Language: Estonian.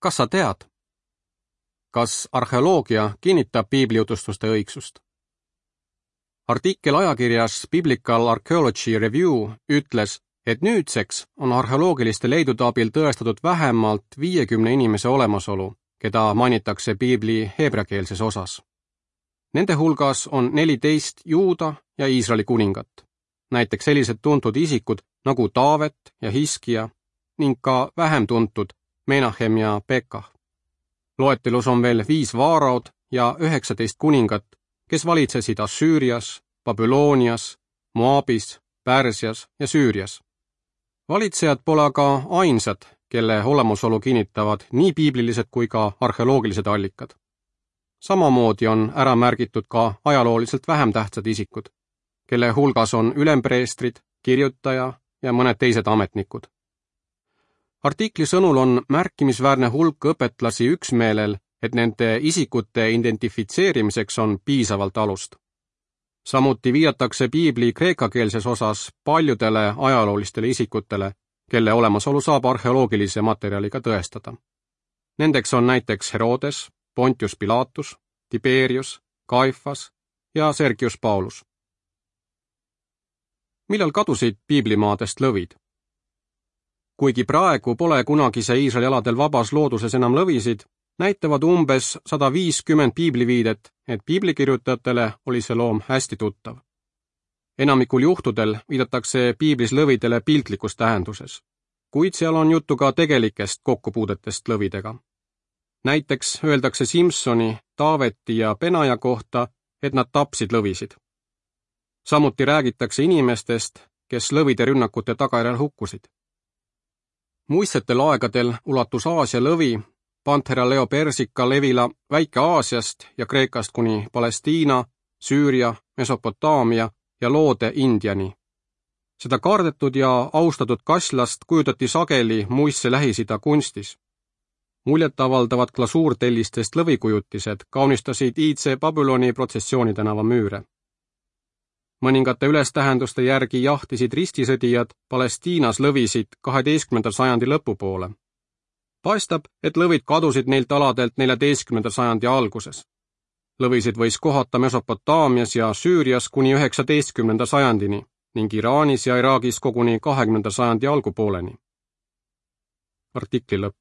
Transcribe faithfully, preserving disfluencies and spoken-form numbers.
Kas sa tead? Kas arheoloogia kinnitab piiblijutustuste õigsust? Artikkel ajakirjas Biblical Archaeology Review ütles, et nüüdseks on arheoloogiliste leidude abil tõestatud vähemalt viiekümne inimese olemasolu, keda mainitakse piibli heebreakeelses osas. Nende hulgas on neliteist Juuda ja Iisraeli kuningat, näiteks sellised tuntud isikud nagu Taavet ja Hiskia ning ka vähem tuntud Menahem ja Pekah. Loetelus on veel viis vaaraod ja üheksateist kuningat, kes valitsesid Assüürias, Babylonias, Moabis, Pärsias ja Süürias. Valitsejad pole aga ainsad, kelle olemasolu kinnitavad nii piiblilised kui ka arheoloogilised allikad. Samamoodi on ära märgitud ka ajalooliselt vähem tähtsad isikud, kelle hulgas on ülempreestrid, kirjutaja ja mõned teised ametnikud. Artikli sõnul on märkimisväärne hulk õpetlasi üksmeelel, et nende isikute identifitseerimiseks on piisavalt alust. Samuti viidatakse piibli kreekakeelses osas paljudele ajaloolistele isikutele, kelle olemasolu saab arheoloogilise materjaliga tõestada. Nendeks on näiteks Herodes, Pontius Pilatus, Tiberius, Kaifas ja Sergius Paulus. Millal kadusid piiblimaadest lõvid? Kuigi praegu pole kunagise Iisraeli aladel vabas looduses enam lõvisid, näitavad umbes sada viiskümmend piibliviidet, et piiblikirjutajatele oli see loom hästi tuttav. Enamikul juhtudel viidatakse piiblis lõvidele piltlikus tähenduses, kuid seal on juttu ka tegelikest kokkupuudetest lõvidega. Näiteks öeldakse Simsoni, Taaveti ja Benaja kohta, et nad tapsid lõvisid. Samuti räägitakse inimestest, kes lõvide rünnakute tagajärjel hukkusid. Muistsetel aegadel ulatus Aasia lõvi, Panthera leopersica levila Väike-Aasiast ja Kreekast kuni Palestiina, Süüria, Mesopotaamia ja loode Indiani. Seda kardetud ja austatud kaslast kujutati sageli muistse Lähis-Ida kunstis. Muljetavaldavad glasuurtellistest lõvikujutised kaunistasid iidse Babyloni protsessiooni tänava müüre. Mõningate ülestähenduste järgi jahtisid ristisõdijad Palestiinas lõvisid kaheteistkümnenda sajandi lõpupoole. Paistab, et lõvid kadusid neilt aladelt neljateistkümnenda sajandi alguses. Lõvisid võis kohata Mesopotaamias ja Süürias kuni üheksateistkümnenda sajandini ning Iraanis ja Iraagis koguni kahekümnenda sajandi algupooleni. Artikli lõpp.